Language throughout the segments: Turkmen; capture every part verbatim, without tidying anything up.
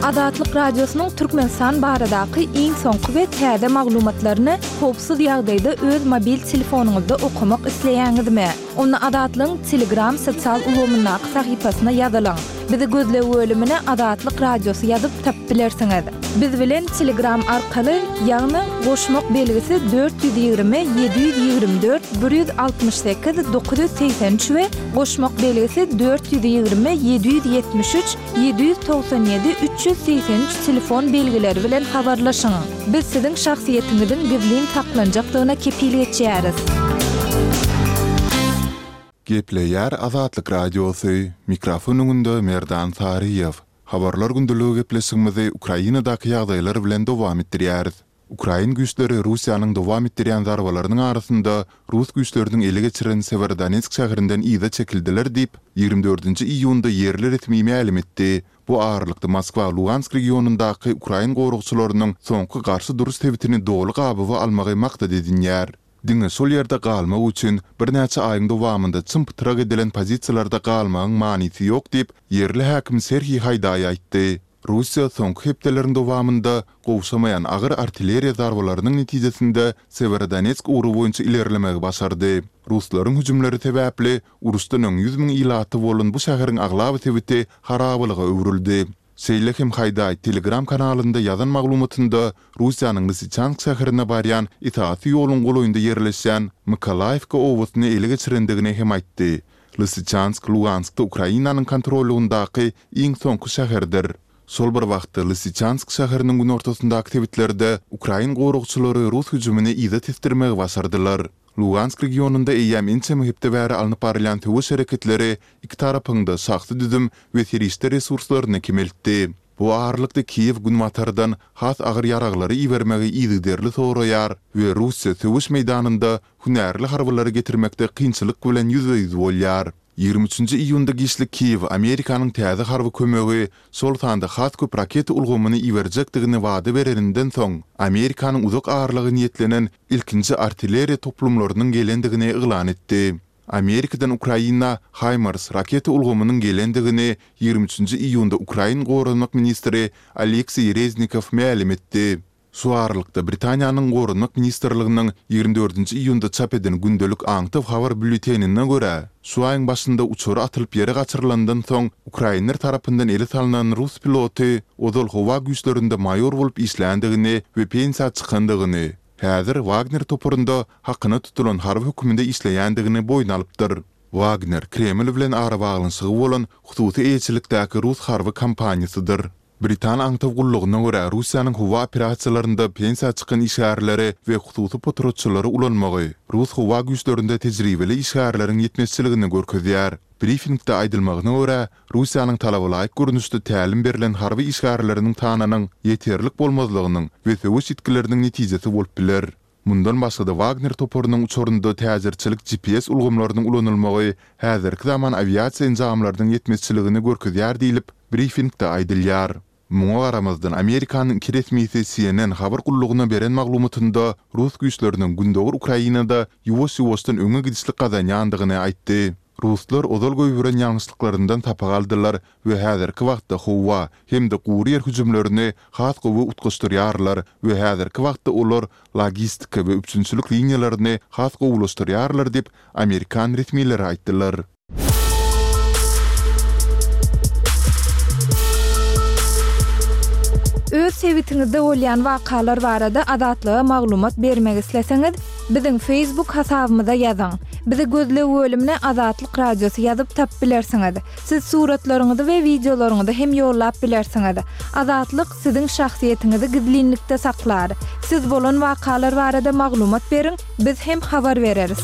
Azatlyk Radiosynyň Türkmenistan baradaky iň soňky we täze maglumatlaryny howpsuz ýagdaýda öz mobil telefonyňyzda okamak isleýäňizmi? Onda Azatlygyň Telegram sosial ulgamyndaky sahypasyna ýazylyň. Bizi gözleg bölümine Azatlyk Radiosy ýazyp tapyp bilersiňiz. Biz bilen Telegram arkaly, ýagny goşmak belgisi dört ýüz ýigrimi ýedi ýüz ýigrimi dört bir ýüz altmyş sekiz dokuz ýüz segsen üç we goşmak belgisi dört ýüz ýigrimi ýedi ýüz ýetmiş üç ýedi ýüz togsan ýedi üç ýüz segsen üç telefon belgileri bilen habarlaşyň. Biz siziň şahsyýetiňiziň gizlin saklanjakdygyna kepil geçýäris. Gepleýär Azatlyk Radiosy, mikrofon öňünde Merdan Saryýew. Habarlar gündeligi gepleşigimizi Ukrainadaky ýagdaýlar bilen dowam etdirýäris. Ukrain güýçleri Russiýanyň dowam etdirýän zarbalarynyň arasynda rus güýçleriniň ele geçiren Sewerodonetsk şäherinden yza çekildiler diýip, ýigrimi dördünji iýunda ýerli resmi mälim etdi. Bu aralykda Moskwa Lugansk regionyndaky ukrain goragçylarynyň soňky garşy duruş sebitini doly gabawa almagy maksat edinýär. Diňe şol ýerde galmak üçin birnäçe aýyň dowamynda çym-pytrak edilen pozisiýalarda galmagyň manysy ýok diýip, ýerli häkim Serhiý Haýdaý aýtdy. Russiýa soňky hepdeleriň dowamynda gowşamaýan agyr artilleriýa zarbalarynyň netijesinde Sewerodonetsk ugry boýunça ilerlemegi başardy. Ruslaryň hüjümleri sebäpli uruşdan öň ýüz müň ilaty bolan bu şäheriň aglaba sebiti harabalyga öwrüldi. Şeýle hem Haýdaý Telegram kanalynda ýazan maglumatynda Russiýanyň Lysyçansk şäherine barýan esasy ýoluň golaýynda ýerleşýän Mykolaýewka obasyny ele geçirendigini hem aýtdy. Lysyçansk Luganskda Ukrainanyň kontrollygyndaky iň soňky şäherdir. Şol bir wagtda Lysyçansk şäheriniň günortasyndaky sebitlerde ukrain goragçylary rus hüjümini yza tesdirmegi başardylar. Lugansk regionynda eýýäm ençeme hepde bäri alnyp barylýan söweş hereketleri iki tarapyň-da şahsy düzüm we serişde resurslaryny kemeltdi. Bu aralykda Kiýew günbatardan has agyr ýaraglary ibermegi yzygiderli soraýar we Russiýa söweş meýdanynda hünärli harbylary getirmekde kynçylyk bilen ýüzbe-ýüz bolýar. Ýigrimi üçünji iýunda giçlik Kiýew Amerikanyň täze harby kömegi, şol sanda has köp raketa ulgamyny iberjekdigini wada bereninden soň, Amerikanyň uzak aralyga niýetlenen ilkinji artilleriýa toplumlarynyň gelendigini yglan etdi. Amerikadan Ukraina HIMARS raketa ulgamynyň gelendigini ýigrimi üçünji iýunda ukrain goranmak ministri Oleksiý Reznikow mälim etdi. Şu aralykda, Britaniýanyň Goranmak ministrliginiň ýigrimi dördünji iýunda çap eden gündelik aňtaw habar býulletenine görä, şu aýyň başynda uçary atylyp ýere gaçyrylandan soň ukrainler tarapyndan ele salnan rus piloty ozal howa güýçlerinde maýor bolup işländigini we pensiýa çykandygyny, häzir Wagner toparynda hakyna tutulan harby hökmünde işleýändigini boýun alypdyr. Wagner, Kreml bilen arabaglanyşygy bolan hususy eýeçilikdäki rus harby kompaniýasydyr. Britan aňtaw gullugyna görä, Russiýanyň howa operasiýalarynda pensiýa çykan işgärleri we hususy potratçylary ulanmagy rus howa güýçlerinde tejribeli işgärleriň ýetmezçiligini görkezýär. Brifingde aýdylmagyna görä, Russiýanyň talabalaýyk görnüşde tälim berlen harby işgärleriniň sanynyň ýeterlik bolmazlygynyň we söweş ýitgileriniň netijesi bolup biler. Mundan başga-da Wagner toparynyň uçarynda täjirçilik G P S ulgamlarynyň ulanylmagy häzirki zaman awiasiýa enjamlarynyň ýetmezçiligini görkezýär diýlip, brifingde aýdylýar. Muňa garamazdan Amerikanyň iki resmisi C N N habar gullugyna beren maglumatynda rus güýçleriniň Gündogar Ukrainada ýuwaş-ýuwaşdan öňe gidişlik gazanýandygyny aýtdy. Ruslar ozal goýberen ýalňyşlyklaryndan sapak aldylar we häzirki wagtda howa hem-de gury ýer hüjümlerini has gowy utgaşdyrýarlar we häzirki wagtda olar logistika we üpjünçilik liniýalaryny has gowulaşdyrýarlar diýip, amerikan resmileri aýtdylar. Öz sebitiňizde bolýan wakalar barada Azatlyga maglumat bermek isleseňiz, biziň Facebook hasabymyza ýazyň. Bizi gözleg bölümine Azatlyk Radiosy ýazyp tapyp bilersiňiz. Siz suratlaryňyzy we wideolaryňyzy hem ýollap bilersiňiz. Azatlyk siziň şahsyýetiňizi gizlinlikde saklar. Siz bolan wakalar barada maglumat beriň, biz hem habar bereris.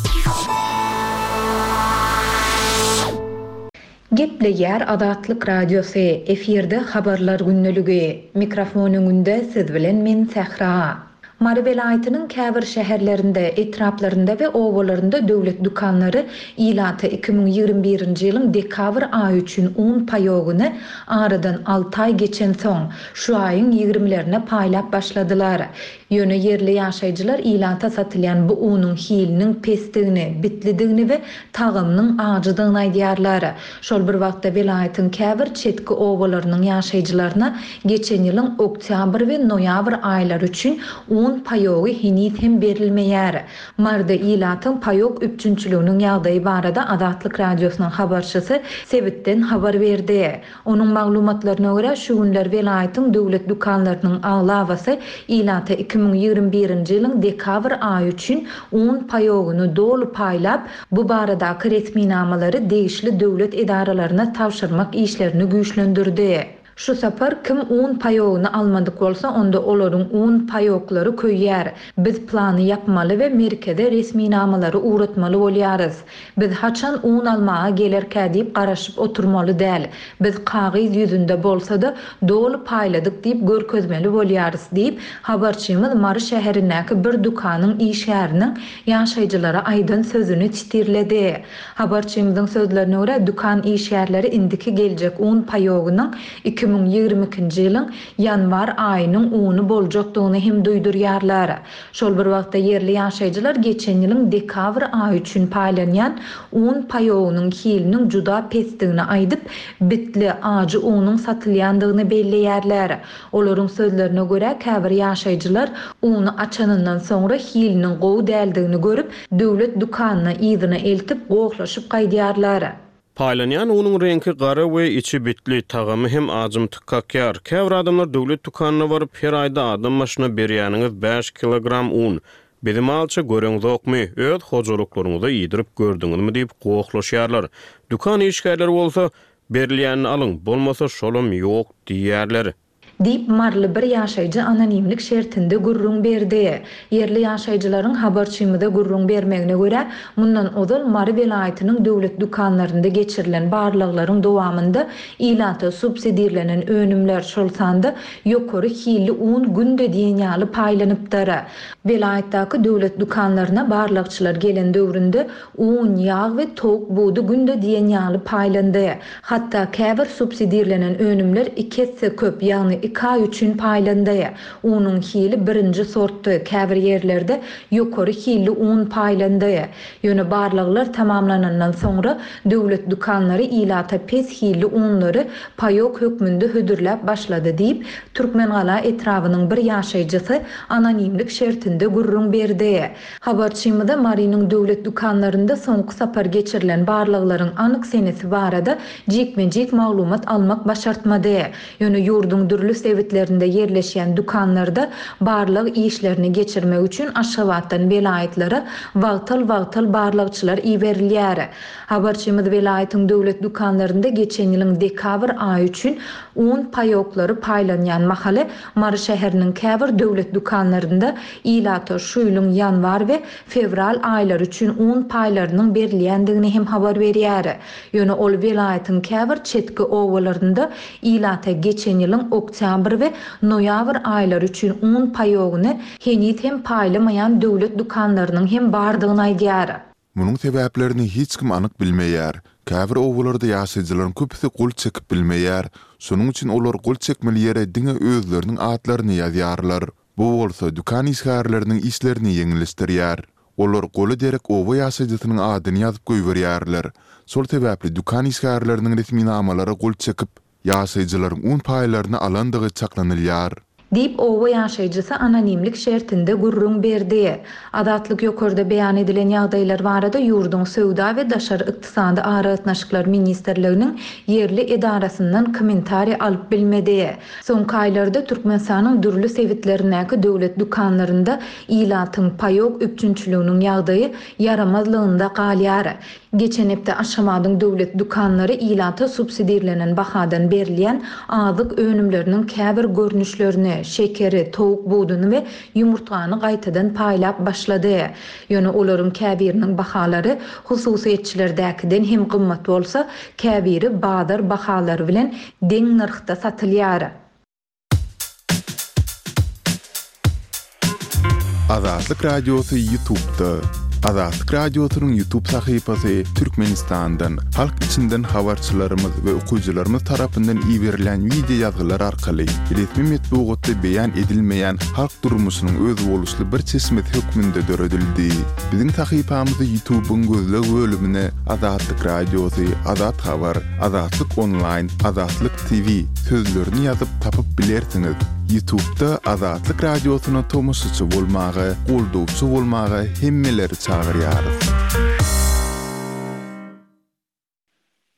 Gepleýär Azatlyk Radiosy, efirde habarlar gündeligi. Mikrofon öňünde siz bilen men Sähra. Mary welaýatynyň käbir şäherlerinde, etraplarynda we obalarynda döwlet dükanlary ilata iki müň ýigrimi birinji ýylyň dekabr aýy üçin un paýogyny aradan alty aý geçensoň, şu aýyň ýigrimilerine paýlap başladylar. Ýöne ýerli ýaşaýjylar ilata satylýan bu unuň hiliniň pesdigini, bitlidigini we tagamynyň ajydygyny aýdýarlar. Şol bir wagtda welaýatyň käbir çetki obalarynyň ýaşaýjylaryna geçen ýylyň oktýabr we noýabr aýlary üçin un paýogy heniz hem berilmeýär. Maryda ilatyň paýok üpjünçiliginiň ýagdaýy barada Azatlyk Radiosynyň habarçysy sebitden habar berdi. Onuň maglumatlaryna görä, şu günler welaýatyň döwlet dükanlarynyň aglabasy ilata iki müň ýigrimi birinji ýylyň dekabr aýy üçin un paýogyny doly paýlap, bu baradaky resminamalary degişli döwlet edaralaryna tabşyrmak işlerini güýçlendirdi. Şu sapar kim un paýogyny almadyk bolsa, onda olaryň un paýoklary köýýär. Biz plany ýapmaly we merkeze resminamalary ugratmaly bolýarys. Biz haçan un almaga gelerkä diýip garaşyp oturmaly däl. Biz kagyz ýüzünde bolsa-da, doly paýladyk diýip görkezmeli bolýarys diýip, habarçymyz Mary şäherindäki bir dükanyň işgäriniň ýaşaýjylara aýdan sözüni çitirledi. Habarçymyzyň sözlerine görä, dükan işgärleri indiki geljek un paýogynyň iki müň ýigrimi ikinji ýylyň ýanwar aýynyň uny boljakdygyny hem duýdurýarlar. Şol bir wagtda ýerli ýaşaýjylar geçen ýylyň dekabr aýy üçin paýlanýan un paýogynyň hiliniň juda pesdigini aýdyp, bitli, ajy unuň satylýandygyny belleýärler. Olaryň sözlerine görä, käbir ýaşaýjylar uny açanyndan soňra hiliniň gowy däldigini görüp, döwlet dükanyna yzyna eltip, gohlaşyp gaýdýarlar. Paýlanýan unuň reňki gara we içi bitli, tagamy hem ajymtyk kakýar. Käbir adamlar döwlet dükanyna baryp, her aýda adam başyna berýäniňiz bäş kilogram un. Bizi malça göreňzokmy, öz hojalyklaryňyza iýdirip gördüňizmi diýip gohlaşýarlar. Dükan işgärleri bolsa, berilýänini alyň, bolmasa şolam ýok diýýärler. Diýip, maryly bir ýaşaýjy anonimlik şertinde gürrüň berdi. Ýerli ýaşaýjylaryň habarçymyza gürrüň bermegine görä, mundan ozal Mary welaýatynyň döwlet dükanlarynda geçirilen barlaglaryň dowamynda ilata subsidirlenen önümler, şol sanda ýokary hilli un günde diýen ýaly paýlanypdyr. Welaýatdaky döwlet dükanlaryna barlagçylar gelen döwründe un, ýag we towuk budy günde diýen ýaly paýlandy. Hatda käbir subsidirlenen önümler iki esse köp, ýagny iki aý üçin paýlandy. Unuň hili birinji sortdy, käbir ýerlerde ýokary hilli un paýlandy. Ýöne barlaglar tamamlanandan soňra döwlet dükanlary ilata pes hilli unlary paýok hökmünde hödürläp başlady diýip, Türkmengala etrabynyň bir ýaşaýjysy anonimlik şertinde gürrüň berdi. Habarçymyza Marynyň döwlet dükanlarynda soňky sapar geçirilen barlaglaryň anyk senesi barada jikme-jik maglumat almak başartmady. Ýöne ýurduň dürli sebitlerinde ýerleşýän dükanlarda barlag işlerini geçirmek üçin Aşgabatdan welaýatlara wagtal-wagtal barlagçylar iberilýär. Habarçymyz welaýatyň döwlet dükanlarynda geçen ýylyň dekabr aýy üçin un paýoklary paýlanýan mahaly Mary şäheriniň käbir döwlet dükanlarynda ilata şu ýylyň ýanwar we fewral aýlary üçin un paýlarynyň berilýändigini hem habar berýär. Ýöne ol welaýatyň käbir çetki obalarynda ilata geçen ýylyň oktýabr we noýabr aýlary üçin un paýogyny heniz hem paýlamaýan döwlet dükanlarynyň hem bardygyny aýdýar. Munuň sebäplerini hiç kim anyk bilmeýär. Käbir obalarda ýaşaýjylaryň köpüsi gol çekip bilmeýär. Şonuň üçin olar gol çekmeli ýere diňe özleriniň atlaryny ýazýarlar. Bu bolsa dükan işgärleriniň işlerini ýeňilleşdirýär. Olar gola derek oba ýaşaýjysynyň adyny ýazyp goýberýärler. Şol sebäpli dükan işgärleriniň resminamalara gol çekip, ýaşaýjylaryň un paýlaryny alandygy çaklanylýar. Diýip, oba ýaşaýjysy anonimlik şertinde gürrüň berdi. Azatlyk ýokarda beýan edilen ýagdaýlar barada ýurduň Söwda we daşary ykdysady aragatnaşyklar ministrliginiň ýerli edarasyndan kommentariý alyp bilmedi. Soňky aýlarda Türkmenistanyň dürli sebitlerindäki döwlet dükanlarynda ilatyň paýok üpjünçiliginiň ýagdaýy ýaramazlygynda galýar. Geçen hepde Aşgabadyň döwlet dükanlary ilata subsidirlenen bahadan berilýän azyk önümleriniň käbir görnüşlerini, şekeri, towuk buduny we ýumurtgany gaýtadan paýlap başlady. Ýöne olaryň käbiriniň bahalary hususyýetçilerdäkiden hem gymmat bolsa, käbiri bazar bahalary bilen deň nyrhda satylýar. Azatlyk Radiosy YouTube'da. Azatlyk Radiosynyň YouTube sahypasy Türkmenistandan, halk içinden habarçylarymyz we okyjylarymyz tarapyndan iberilen wideo ýazgylar arkaly resmi metbugatda beýan edilmeýän halk durmuşynyň özboluşly bir çeşmesi hökmünde döredildi. Biziň sahypamyzy YouTube'yň gözleg bölümine Azatlyk Radiosy, Azat Habar, Azatlyk Online, Azatlyk T V sözlerini ýazyp tapyp bilersiňiz. YouTube'da Azatlyk Radiosyna tomaşaçy bolmaga, goldawçy bolmaga hemmeleri çagyrýarys.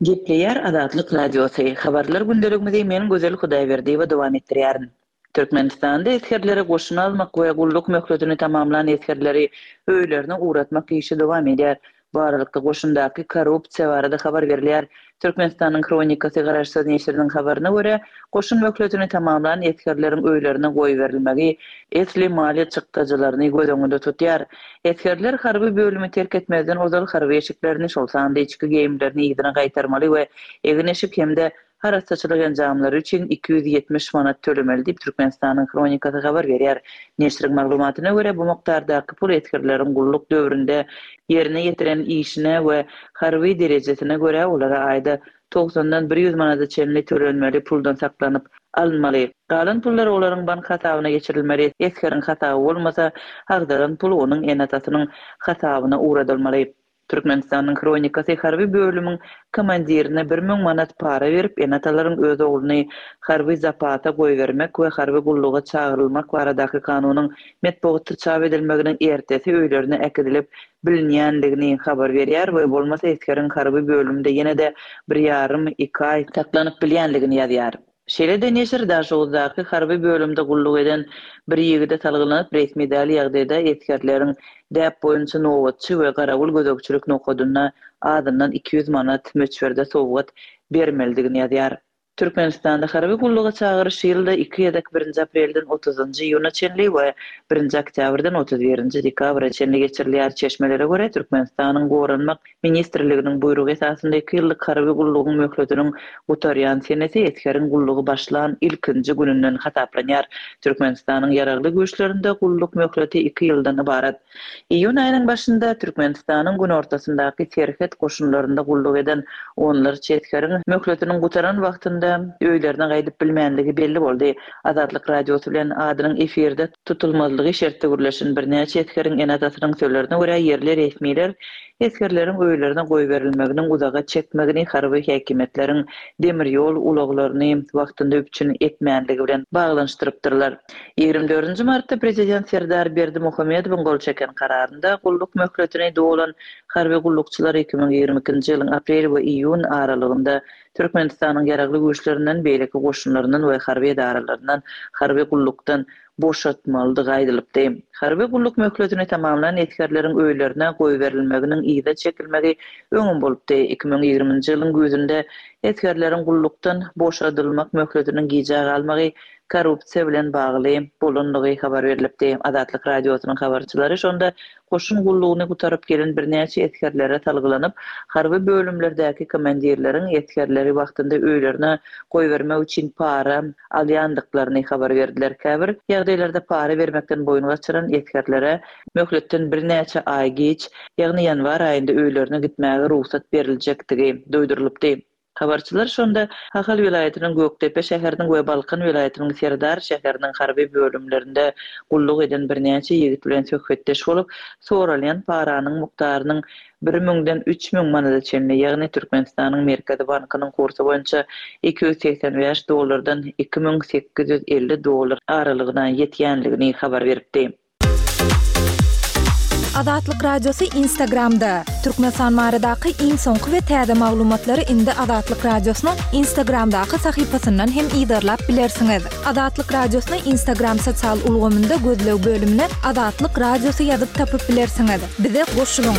Gepleýär Azatlyk Radiosy. Habarlar gündeligimizi men Gözel Hudaýberdiýewa dowam etdirýärin. Türkmenistanda esgerleri goşuna almak we gulluk möhletini tamamlan esgerleri öýlerine ugratmak işi dowam edýär. Bu aralykda goşundaky korrupsiýa barada habar berilýär. Türkmenistanyň Hronikasy garaşsyz neşiriniň habaryna görä, goşun möhletini tamamlan esgerleriň öýlerine goýberilmegi esli maliýe çykdajylaryny göz öňünde tutýar. Esgerler harby bölümi terk etmezden ozal harby eşiklerini, şol sanda içki geýimlerini yzyna gaýtarmaly we egin-eşik hem-de harasaçylyk enjamlary üçin iki ýüz ýetmiş manat tölemeli diýip Türkmenistanyň Hronikasy habar berýär. Neşiriň maglumatyna görä, bu mukdardaky pul esgerleriň gulluk döwründe ýerine ýetiren işine we harby derejesine görä olara aýda togsandan bir ýüz manada çenli tölenmeli puldan saklanyp alynmaly. Galan pullar olaryň bank hasabyna geçirilmeli. Esgeriň hasaby bolmasa, agdaran pul onuň ene-atasynyň hasabyna ugradylmaly. Türkmenistanyň Hronikasy harby bölümiň komandirine bir müň manat para berip, ene-atalaryň öz ogluny harby zapata goýbermek we harby gulluga çagyrylmak baradaky kanunyň metbugatda çap edilmeginiň ertesi öýlerine äkidilip bilinýändigini habar berýär we bolmasa esgeriň harby bölümde ýene-de bir ýarym iki aý saklanyp bilýändigini ýazýar. Şeýle-de neşir Daşoguzdaky harby bölümde gulluk eden bir ýigide salgylanyp resmi däl ýagdaýda esgerleriň däp boýunça nobatçy we garawul gözegçilik nokadynda azyndan iki ýüz manat möçberde sowgat bermelidigini ýazýar. Türkmenistanda harby gulluga çagyryş ýylda iki gezek birinji aprelden otuzynjy iýuna çenli we birinji oktýabrdan otuz birinji dekabra çenli geçirilýär. Çeşmelere görä Türkmenistanyň Goranmak Ministrliginiň buýrugy esasynda iki ýyllyk harby gullugyň möhletiniň gutarýan senesi esgeriň gullugy başlan ilkinji gününden hasaplanýar. Türkmenistanyň ýaragly güýçlerinde gulluk möhleti iki ýyldan ybarat. Iýun aýynyň başynda Türkmenistanyň günortasyndaky serhet goşunlarynda gulluk eden onlarça esgeriň möhletiniň gutaran wagtynda öýlerine gaýdyp bilmänligi belli boldy. Azatlyk Radiosy bilen adynyň efirde tutulmazlygy şertde gürleşen birnäçe esgeriň ene-atasynyň sözlerine görä ýerli resmiler esgerleriň öýlerine goýberilmeginiň uzaga çekmegini harby häkimiýetleriň demir ýol ulaglaryny wagtynda üpjün etmänligi bilen baglanyşdyrypdyrlar. Ýigrimi dördünji martda prezident Serdar Berdimuhamedowyň gol çeken kararynda gulluk möhletini dolan harby gullukçylar iki müň ýigrimi ikinji ýylyň aprel we iýun aralygynda Türkmenistanyň ýaragly güýçlerinden, beýleki goşunlaryndan we harby edaralaryndan harby gullukdan boşatmalydygy aýdylypdy. Harby gulluk möhletini tamamlan esgerleriň öýlerine goýberilmeginiň yza çekilmegi öňüm bolupdy. Iki müň ýigriminji ýylyň güýzünde esgerleriň gullukdan boşadylmak möhletiniň gijä galmagy korrupsiýa bilen bagly bolanlygy habar berilipdi. Azatlyk Radiosynyň habarçylary şonda goşun gullugyny gutaryp gelen birnäçe esgerlere salgylanyp, harby bölümlerdäki komandirleriň esgerleri wagtynda öýlerine goýbermek üçin para alýandyklaryny habar berdiler. Käbir ýagdaýlarda para bermekden boýun gaçyran esgerlere möhletden birnäçe aý geç, ýagny ýanwar aýynda öýlerine gitmäge rugsat beriljekdigi duýdurylypdy. Habarçylar şonda Ahal welaýatynyň Gökdepe şäheriniň we Balkan welaýatynyň Serdar şäheriniň harby bölümlerinde gulluk eden birnäçe ýigit bilen söhbetdeş bolup, soralýan paranyň mukdarynyň bir müňden üç müň manada çenli, ýagny Türkmenistanyň Merkezi Bankynyň kursy boýunça iki ýüz segsen bäş dollardan iki müň sekiz ýüz elli dollar aralygyna ýetýänligini habar beripdi. Azatlyk Radiosy Instagramda. Türkmenistan baradaky iň soňky we täze maglumatlary indi Azatlyk Radiosynyň Instagramdaky sahypasyndan hem yzarlap bilersiňiz. Azatlyk Radiosyny Instagram sosial ulgamynda gözleg bölümine Azatlyk Radiosy ýazyp tapyp bilersiňiz. Bize goşulyň.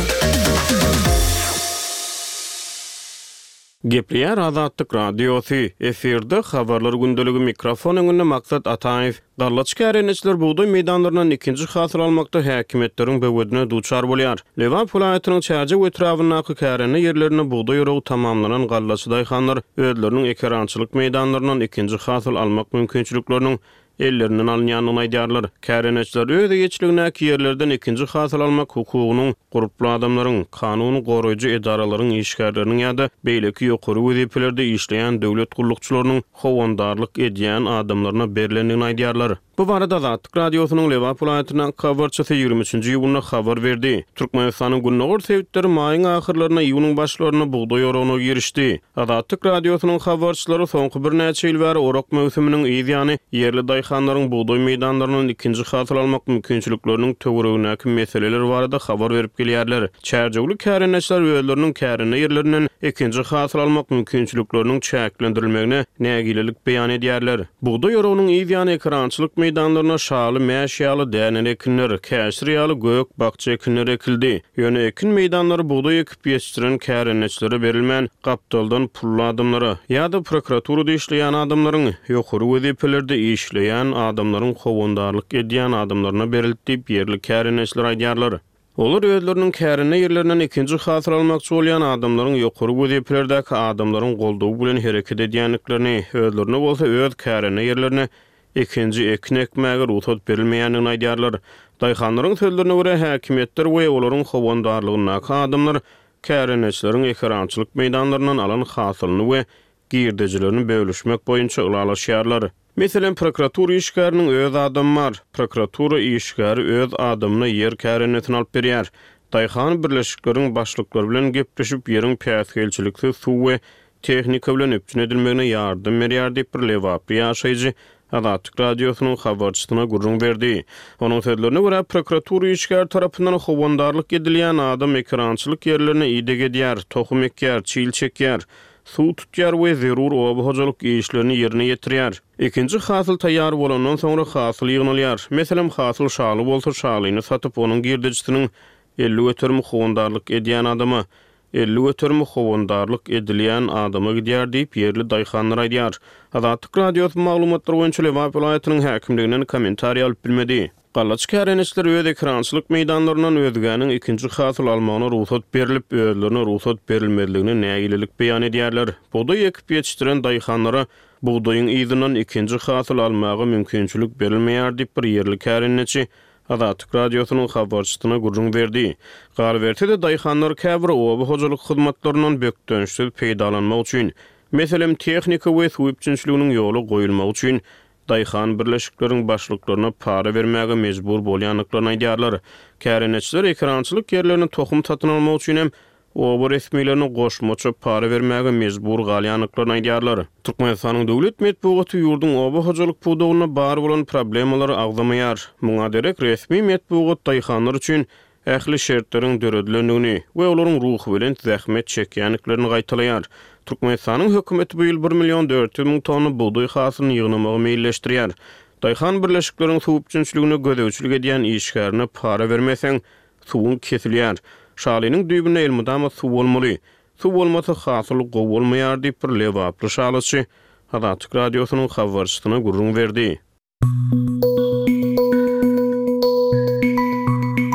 Gepleýär Azatlyk Radiosy. Efirde habarlar gündeligi mikrofon öňünde Maksat Ataýew. Gallaç kärendeçiler bugdaý meýdanlaryndan ikinji hasyl almakda häkimiýetleriň böwedine duçar bolýar. Lebap welaýatynyň Çärjew etrabyndaky kärende ýerlerinde bugdaý oragy tamamlanan gallaçy daýhanlar özleriniň ekerançylyk meýdanlaryndan ikinji hasyl almak mümkinçilikleriniň ellerinden alynýandygyny aýdýarlar. Kärendeçiler öz eýeçiligindäki ýerlerden ikinji hasyl almak hukugynyň gurply adamlaryň, kanun goraýjy edaralaryň işgärleriniň ýa-da beýleki ýokary wezipelerde işleýän döwlet gullukçylarynyň howandarlyk edýän adamlaryna berlendigini aýdýarlar. Bu barada Azatlyk Radiosynyň Lebap welaýatyndaky habarçysy ýigrimi üçünji iýunda habar berdi. Türkmenistanyň gündogar sebitleri maýyň ahyrlarynda, iýunyň başlarynda bugdaý oragyna girişdi. Azatlyk Radiosynyň habarçylary soňky birnäçe ýyl bäri orak möwsüminiň yz ýany ýerli daýhanlaryň bugdaý meýdanlaryndan ikinji hasyl almak mümkinçilikleriniň töweregindäki meseleler barada habar berip gelýärler. Çärjewli kärendeçiler özleriniň kärende ýerlerinden ikinji hasyl almak mümkinçilikleriniň çäklendirilmegine nägilelik beýan edýärler. Bugdaý oragynyň yz ýany ekerançylyk meýdanlaryna şaly, mäş ýaly däneli ekinler, käşir ýaly gök, bakja ekinleri ekildi. Ýöne ekin meýdanlary bugdaý ekip ýetişdiren kärendeçilere berilmän, gapdaldan pully adamlara ýa-da prokuraturada işleýän adamlaryň, ýokary wezipelerde işleýän adamlaryň howandarlyk edýän adamlaryna berildi diýip, ýerli kärendeçiler aýdýarlar. Olar özleriniň kärende ýerlerinden ikinji hasyl almakçy bolýan adamlaryň ýokary wezipelerdäki adamlaryň goldawy bilen hereket edýändiklerini, özlerine bolsa öz kärende ýerlerine ikinji ekin ekmäge rugsat berilmeýändigini aýdýarlar. Daýhanlaryň sözlerine görä, häkimiýetler we olaryň howandarlygyndaky adamlar kärendeçileriň ekerançylyk meýdanlaryndan alan hasylyny we girdejilerini bölüşmek boýunça ylalaşýarlar. Meselem, prokuratura işgäriniň öz adamy bar. Prokuratura işgäri öz adamyna ýer kärendesini alyp berýär. Daýhan birleşikleriň başlyklary bilen gepleşip, ýeriň päsgelçiliksiz suw we tehnika bilen üpjün edilmegine ýardam berýär diýip, bir lebaply ýaşaýjy Azatlyk Radiosynyň habarçysyna gürrüň berdi. Onuň sözlerine görä, prokuratura işgäri tarapyndan howandarlyk edilýän adam ekerançylyk ýerlerine ideg edýär, tohum ekýär, çil çekýär, suw tutýar we zerur oba hojalyk işlerini ýerine ýetirýär. Ikinji hasyl taýýar bolandan soňra hasyl ýygnalýar. Meselem, hasyl şaly bolsa, şalyny satyp, onuň girdejisiniň elli göterimi howandarlyk edýän adama, elli göterimi howandarlyk edilýän adama gidýär diýip, ýerli daýhanlar aýdýar. Azatlyk Radiosy maglumatlar boýunça Lebap welaýatynyň häkimliginden kommentariý alyp bilmedi. Gallaçy kärendeçiler öz ekerançylyk meýdanlaryndan özgäniň ikinji hasyl almagyna rugsat berlip, özlerine rugsat berilmezligine nägilelik beýan edýärler. Bugdaý ekip ýetişdiren daýhanlara bugdaýyň yzyndan ikinji hasyl almaga mümkinçilik berilmeýär diýip, bir ýerli kärendeçi Azatlyk Radiosynyň habarçysyna gürrüň berdi. Galyberse-de, daýhanlar käbir oba hojalyk hyzmatlaryndan bökdençsiz peýdalanmak üçin, meselem, tehnika we suw üpjünçiliginiň ýola goýulmagy üçin daýhan birleşikleriň başlyklaryna para bermäge mejbur bolýandyklaryny aýdýarlar. Kärendeçiler ekerançylyk ýerlerini tohum satyn almak üçin hem oba resmilerine goşmaça para bermäge mejbur galýandyklaryny aýdýarlar. Türkmenistanyň döwlet metbugaty ýurduň oba hojalyk pudagynda bar bolan problemalary agzamaýar. Muňa derek resmi metbugat daýhanlar üçin ähli şertleriň döredilendigini we olaryň ruhubelent zähmet çekýändiklerini gaýtalaýar. Türkmenistanyň hökümeti bu ýyl bir million dört ýüz müň tonna bugdaý hasylyny ýygnamagy meýilleşdirýär. Daýhan birleşikleriň suw üpjünçiligine gözegçilik edýän işgärine para bermeseň, suwuň kesilýär. Şalynyň düýbünde elmydama suw bolmaly. Suw bolmasa hasyl gowy bolmaýar diýip, bir lebaply şalyçy Azatlyk Radiosynyň habarçysyna gürrüň berdi.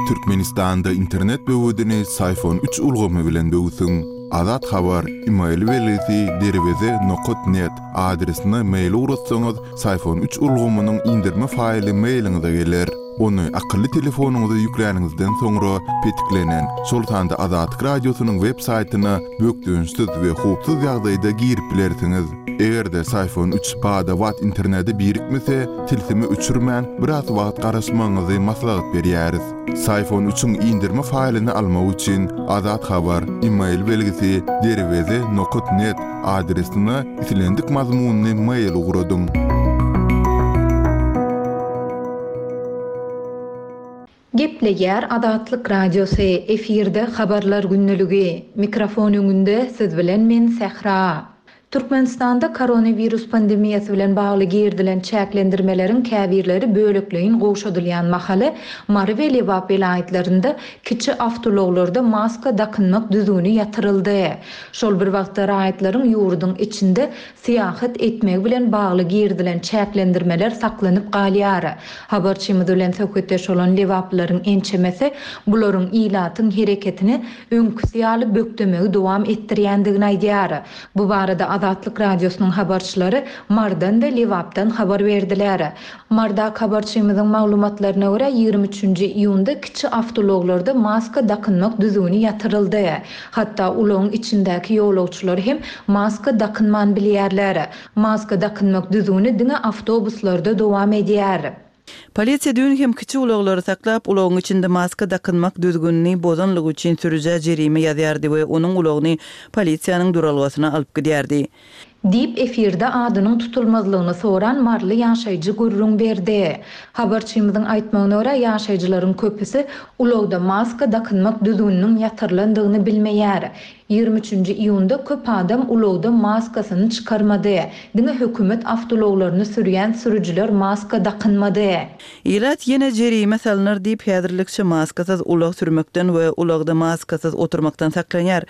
Türkmenistanda internet böwedini Syfon üç ulgamy bilen böwsüň. Azat Habar, email belgisi derweze nokat net adresine mail ugratsaňyz, Syfon üç ulgamynyň indirme faýly mailiňize geler. Ony akylly telefonyňyza ýükläniňizden soňra petiklenen, şol sanda Azatlyk Radiosynyň web saýtyna bökdençsiz we howpsuz ýagdaýda girip bilersiňiz. Eger-de Syfon üç bada-bat internete birikmese, tilsimi öçürmän, biraz wagt garaşmagyňyzy maslahat berýäris. Syfon üçiň indirme faýlyny almak üçin Azat Habar, email belgisi derweze nokat net adresine islendik mazmunyny mail ugradyň. Gepleýär Azatlyk Radiosy, efirde habarlar günlügi. Mikrofon öňünde siz bilen men Sähra. Türkmenistanda koronawirus pandemiýasy bilen bagly girdilen çäklendirmeleriň käbirleri bölekleýin gowşadylýan mahaly Mary we Lebap welaýatlarynda kiçi awtoulaglarda maska dakynmak düzgüni ýatyryldy. Şol bir wagtda raýatlaryň ýurduň içinde syýahat etmegi bilen bagly girdilen çäklendirmeler saklanyp galýar. Habarçymyz bilen söhbetdeş bolan lebaplylaryň ençemesi bularyň ilatyň hereketini öňküsi ýaly bökdemegi dowam etdirýändigini aýdýar. Bu barada Azatlyk Radiosynyň habarçylary Marydan we Lebapdan habar berdiler. Marydaky habarçymyzyň maglumatlaryna görä, ýigrimi üçünji iýunda kiçi awtoulaglarda maska dakynmak düzgüni ýatyryldy. Hatda ulagyň içindäki ýolagçylar hem maska dakynman bilýärler. Maska dakynmak düzgüni diňe awtobuslarda dowam edýär. Polisiýa düýn hem kiçi ulaglary saklap, ulagyň içinde maska dakynmak düzgünini bozanlygy üçin sürüjä jerime ýazýardy we onuň ulagyny polisiýanyň duralgasyna alyp gidýärdi. Diýip, efirde adynyň tutulmazlygyny soran maryly ýaşaýjy gürrüň berdi. Habarçymyzyň aýtmagyna görä, ýaşaýjylaryň köpüsi ulagda maska dakynmak düzgüniniň ýatyrylandygyny bilmeýär. Ýigrimi üçünji iýunda köp adam ulagda maskasyny çykarmady. Diňe hökümet awtoulaglaryny sürýän sürüjiler maska dakynmady. Ilat ýene jerime salnar diýip, häzirlikçe maskasyz ulag sürmekden we ulagda maskasyz oturmakdan saklanýar.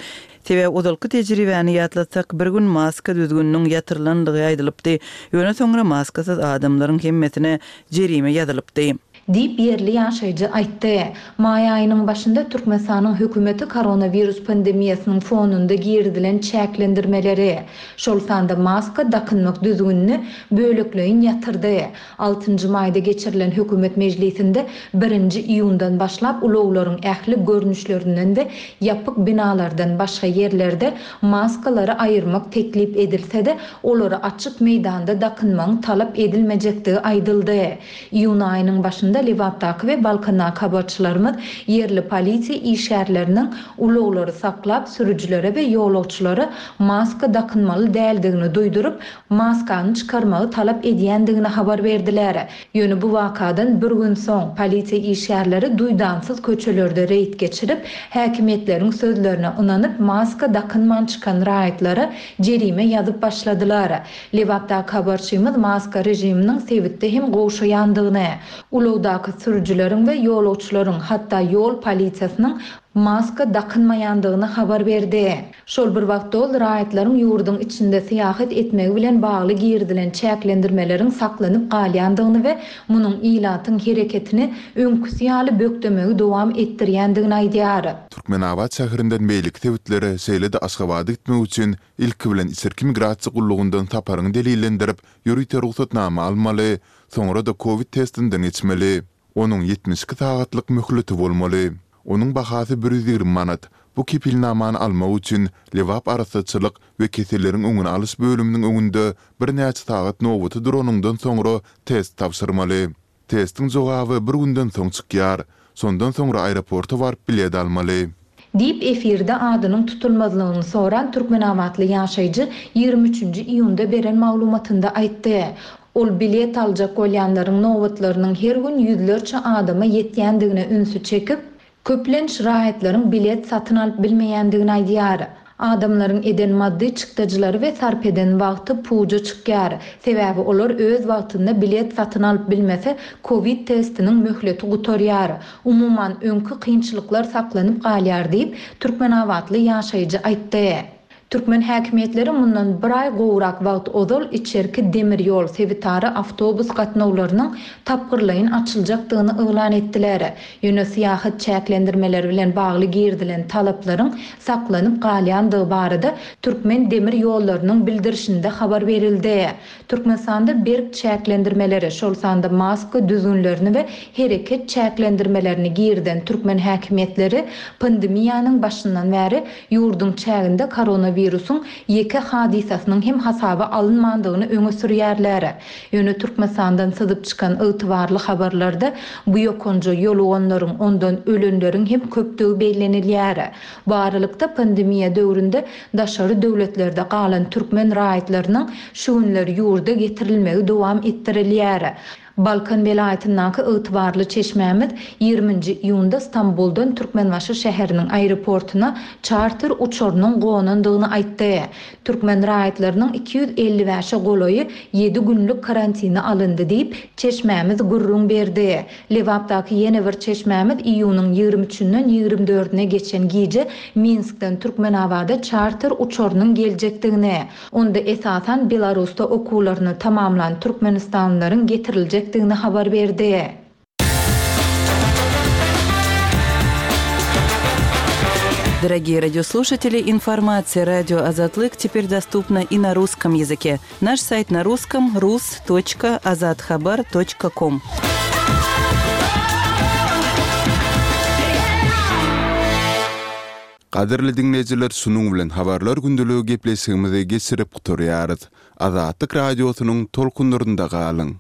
Sebäbi ozalky tejribäni ýatlatsak, bir gün maska düzgüniniň ýatyrylandygy aýdylypdy, ýöne soňra maskasyz adamlaryň hemmesine jerime ýazylypdy. Diýip, ýerli ýaşaýjy aýtdy. Maý aýynyň başynda Türkmenistanyň hökümeti koronawirus pandemiýasynyň fonunda girizilen çäklendirmeleri, şol sanda maska dakynmak düzgünini bölekleýin ýatyrdy. Altynjy maýda geçirilen hökümet mejlisinde birinji iýundan başlap ulaglaryň ähli görnüşlerinden we ýapyk binalardan başga ýerlerde maskalary aýyrmak teklip edilse-de, olary açyk meýdanda dakynmagyň talap edilmejekdigi aýdyldy. Iýun aýynyň başynda Lebapdaky we Balkandaky habarçylarymyz ýerli polisiýa işgärleriniň ulaglary saklap, sürüjilere we ýolagçylara maska dakynmaly däldigini duýduryp, maskany çykarmagy talap edýändigini habar berdiler. Ýöne bu wakadan bir gün soň, polisiýa işgärleri duýdansyz köçelerde reýd geçirip, häkimiýetleriň sözlerine ynanyp, maska dakynman çykan raýatlara jerime ýazyp başladylar. Lebapdaky habarçymyz maska režiminiň sebitde hem gowşaýandygyny, ulagdaky sürüjileriň we ýolagçylaryň, hatda ýol polisiýasynyň maska dakynmaýandygyny habar berdi. Şol bir wagtda ol raýatlaryň ýurduň içinde syýahat etmegi bilen bagly girizilen çäklendirmeleriň saklanyp galýandygyny we munuň ilatyň hereketini öňküsi ýaly bökdemegi dowam etdirýändigini aýdýar. Türkmenabat şäherinden beýleki sebitlere, şeýle-de Aşgabada gitmek üçin ilki bilen içerki migrasiýa gullugyndan saparyňy delillendirip, ýörite rugsatnama almaly, soňra-da kowid testinden geçmeli. Onuň ýetmiş iki sagatlyk möhleti bolmaly. Onuň bahasy bir ýüz ýigrimi manat. Bu kepilnamany almak üçin Lebap arassaçylyk we keselleriň öňüni alyş bölüminiň öňünde birnäçe sagat nobata duranyňdan soňra test tabşyrmaly. Testiň jogaby bir günden soň çykýar. Şondan soňra aeroporta baryp bilet almaly. Diýip, efirde adynyň tutulmazlygyny soran türkmenabatly ýaşaýjy ýigrimi üçünji iýunda beren maglumatynda aýtdy. Ol bilet aljak bolýanlaryň nobatlarynyň her gün ýüzlerçe adama ýetýändigine ünsi çekip, köplenç raýatlaryň bilet satyn alyp bilmeýändigini aýdýar. Adamlaryň eden maddy çykdajylary we sarp eden wagty puja çykýar. Sebäbi olar öz wagtynda bilet satyn alyp bilmese, kowid testiniň möhleti gutarýar. Umuman, öňki kynçylyklar saklanyp galýar diýip, türkmenabatly ýaşaýjy aýtdy. Türkmen häkimiýetleri mundan bir aý gowrak wagt ozal içerki demir ýol, sebitara awtobus gatnawlarynyň tapgyrlaýyn açyljakdygyny yglan etdiler. Ýöne syýahat çäklendirmeleri bilen bagly girizilen talaplaryň saklanyp galýandygy barada Türkmen demir ýollarynyň bildirişinde habar berildi. Türkmenistanda berk çäklendirmeleri, şol sanda maska düzgünlerini we hereket çäklendirmelerini girizen türkmen häkimiýetleri pandemiýanyň başyndan bäri ýurduň çäginde koronawirusyň ýeke hadysasynyň hem hasaba alynmandygyny öňe sürýärler. Ýöne Türkmenistandan syzyp çykan ygtybarly habarlarda bu ýokanja ýoluganlaryň, ondan ölenleriň hem köpdügi bellenilýär. Bu aralykda, pandemiýa döwründe daşary döwletlerde galan türkmen raýatlarynyň şu günler ýurda getirilmegi dowam etdirilýär. Balkan welaýatyndaky ygtybarly çeşmämiz ýigriminji iýunda Stambuldan Türkmenbaşy şäheriniň aeroportuna çarter uçarynyň gonandygyny aýtdy. Türkmen raýatlarynyň iki ýüz elli bäşe golaýy ýedi günlük karantine alyndy diýip, çeşmämiz gürrüň berdi. Lebapdaky ýene bir çeşmämiz iýunyň ýigrimi üçünden ýigrimi dördüne geçen gije Minskden Türkmenabada çarter uçarynyň geljekdigini, onda esasan Belarusda okuwlaryny tamamlan türkmenistanlylaryň getiriljekdigini habar berdi. Дорогие радиослушатели, информация радио Азатлык теперь доступна и на русском языке. Наш сайт на русском rus.azathabar.com. Gadyrly diňleýjiler, şunuň bilen habarlar gündeligi gepleşigimizi geçirip gutarýarys. Azatlyk radiosynyň tolkunlarynda galyň.